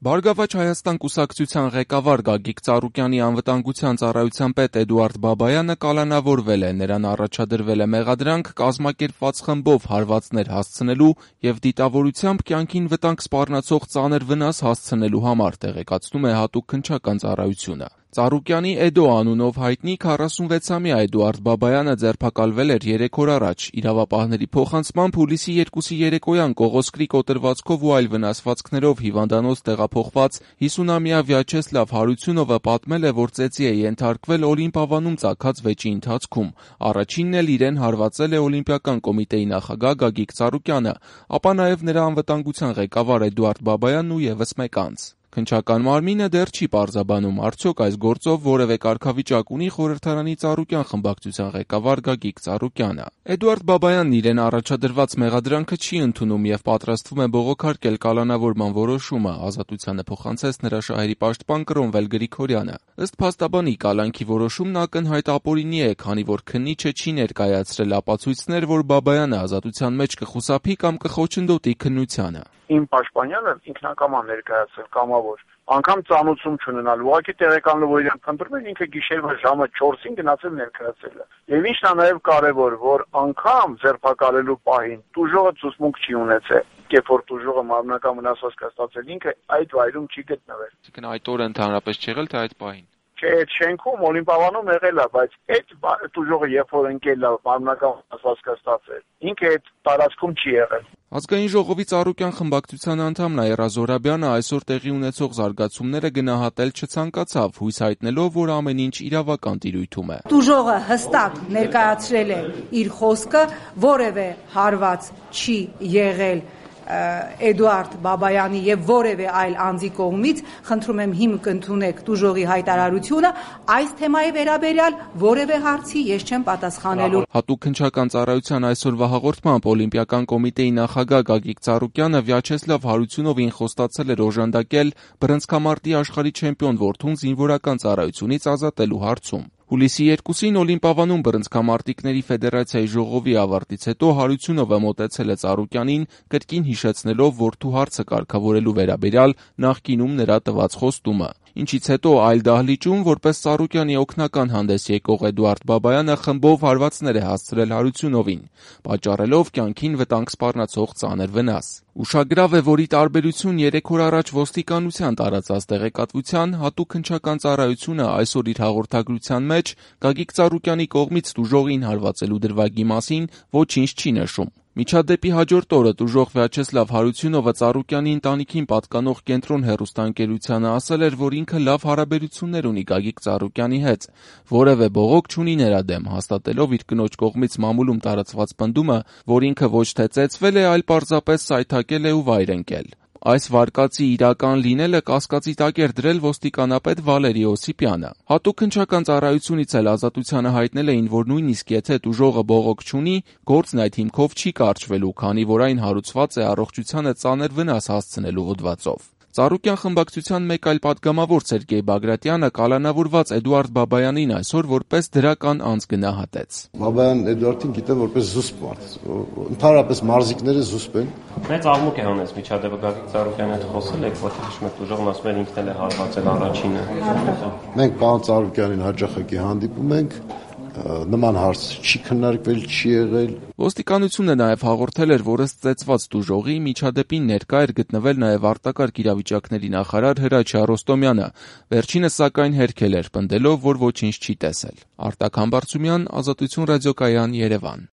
Բարգավաճ Հայաստան կուսակցության ղեկավար Գագիկ Ծառուկյանի անվտանգության ծառայության պետ Էդուարդ Բաբայանը կալանավորվել է, նրան առաջադրվել է մեղադրանք կազմակերպված խմբով հարվածներ հասցնելու և դիտավորությամբ կյանքին վտանգ սպառնացող ծանր վնաս հասցնելու համար, տեղեկացնում է հատուկ քննչական ծառայությունը։ Ծառուկյանի Էդո անունով հայտնի 46-ամյա Էդուարդ Բաբայանը ձերբակալվել էր 3 օր առաջ, իրավապահների փոխանցմամբ հուլիսի 2-ի երեկոյան Կողոսկրի կոտրվածքով ու այլ վնասվածքներով հիվանդանոց տեղափոխված 50-ամյա Վյաչեսլավ Հարությունովը պատմել է, որ ծեծի է ենթարկվել Օլիմպ ավանում ծագած վեճի ընթացքում։ Առաջինն էլ իրեն հարվածել է Օլիմպիական կոմիտեի նախագահ Գագիկ Ծառուկյանը, ապա նաև նրա անվտանգության ղեկավար Էդուարդ Բաբայանն ու ևս մեկ անձ։ Քննչական մարմինը դեռ չի պարզաբանում, արդյոք այս գործով որևէ կարգավիճակ ունի խորհրդարանի Ծառուկյան խմբակցության ղեկավար Գագիկ Ծառուկյանը։ Էդուարդ Բաբայանն իրեն առաջադրված մեղադրանքը չի ընդունում եւ պատրաստվում է բողոքարկել կալանավորման որոշումը, Ազատությանը փոխանցեց նրա շահերի պաշտպան Կրոնվել Գրիգորյանը։ Ըստ փաստաբանի, կալանքի որոշումն ակնհայտ ապօրինի է, քանի որ քննիչը չի ներկայացրել ապացույցներ, որ Բաբայանը ազատության մեջ կխուսափի կամ կխոչընդոտի քննությանը։ Իմ պաշտպանյանը ինքնակամ ներկայացել կամավոր, անգամ ծանուցում չունենալ, ուղղակի տեղեկան լվորյան փնտրում են, ինքը գիշերվա ժամը 4-ին գնացել ներկայացել է։ Եվ ինչն է նաև կարևոր, որ անգամ ձերբակալելու պահին տուժողը ցուցմունք չի ունեցել, երբ որ տուժողը մարմնական վնասվածք է ստացել, ինքը այդ վայրում չի գտնվել։ Այսինքն այդ օրը ընդհանրապես չի եղել, թե այդ պահին։ Չէ, այդ շենքում Օլիմպ ավանում եղել է, բայց այդ տուժողը երբ որ ընկել է մարմնական վնասվածք է ստացել, ինքը այդ տարածքում չի եղել։ Ազգային ժողովի Ծառուկյան խմբակցության անդամ Նաիրա Զոհրաբյանը այսօր տեղի ունեցող զարգացումները գնահատել չցանկացավ, հույս հայտնելով, որ ամեն ինչ իրավական տիրույթում է։ Տուժողը հստակ ներկայացրել է իր խոսքը, որևէ հարված չի եղել Էդուարդ Բաբայանի եւ որևէ այլ անձի կողմից, խնդրում եմ հիմք ընդունեք տուժողի հայտարարությունը, այս թեմայի վերաբերյալ որևէ հարցի ես չեմ պատասխանելու։ Հատուկ քննչական ծառայության այսօրվա հաղորդմամբ Օլիմպիական կոմիտեի նախագահ Գագիկ Ծառուկյանը Վյաչեսլավ Հարությունովին խոստացել էր օժանդակել բռնցքամարտի աշխարհի չեմպիոն որդուն զինվորական ծառայությունից ազատելու հարցում։ Հուլիսի 2-ին Օլիմպ ավանում բռնցքամարտիկների ֆեդերացիայի ժողովի ավարտից հետո Հարությունովը մոտեցել է Ծառուկյանին, կրկին հիշեցնելով որդու հարցը կարգավորելու վերաբերյալ նախկինում նրա տված խոստումը։ Ինչից հետո այլ դահլիճում, որպես Ծառուկյանի օգնական հանդես եկող Էդուարդ Բաբայանը խմբով հարվածներ է հասցրել Հարությունովին, պատճառելով կյանքին վտանգ սպառնացող ծանր վնաս։ Ուշագրավ է, որ ի տարբերություն 3 օր առաջ ոստիկանության տարածած տեղեկատվության, հատուկ քննչական ծառայությունը այսօր իր հաղորդագրության մեջ Գագիկ Ծառուկյանի կողմից տուժողին հարվածելու դրվագի մասին ոչինչ չի նշում։ Միջադեպի հաջորդ օրը տուժող Վյաչեսլավ Հարությունովը Ծառուկյանի ընտանիքին պատկանող Կենտրոն հեռուստաընկերությանը ասել էր, որ ինքը լավ հարաբերություններ ունի Գագիկ Ծառուկյանի հետ, որևէ բողոք չունի նրա դեմ, հաստատելով իր կնոջ կողմից մամուլում տարածված պնդումը, որ ինքը ոչ թե ծեծվել է, այլ պարզապես սայթաքել է ու վայր ընկել։ Այս վարկածի իրական լինելը կասկածի տակ էր դրել ոստիկանապետ Վալերի Օսիպյանը։ Հատուկ քննչական ծառայությունից էլ Ազատությանը հայտնել էին, որ նույնիսկ եթե տուժողը բողոք չունի, գործն այդ հիմքով չի կարճվելու, քանի որ այն հարուցված է առողջությանը ծանր վնաս հասցնելու հոդվածով։ Ծառուկյան խմբակցության մեկ այլ պատգամավոր Սերգեյ Բագրատյանը կալանավորված Էդուարդ Բաբայանին այսօր որպես դրական անձ գնահատեց։ Բաբայան Էդուարդին գիտեմ որպես զուսպ մարդ, ընդհանրապես մարզիկները զուսպ են։ Մեծ աղմուկ է հանեց միջադեպը Գագիկ Ծառուկյանի հետ խոսել եք, որտեղ հիշում եք տուժողն ասում էր ինքն էլ է հարվածել առաջինը։ Մենք պարոն Ծառուկյանին հաճախակի հանդիպում ենք, նման հարց չի քննարկվել, չի եղել։ Ոստիկանությունը նաև հաղորդել էր, որ ըստ ծեծված տուժողի միջադեպին ներկա էր գտնվել նաև արտակարգ իրավիճակների նախարար Հրաչյա Ռոստոմյանը, վերջինս սակայն հերքել էր, պնդելով, որ ոչինչ չի տեսել։ Արտակ Համբարձումյան, Ազատություն ռադիոկայան, Երևան։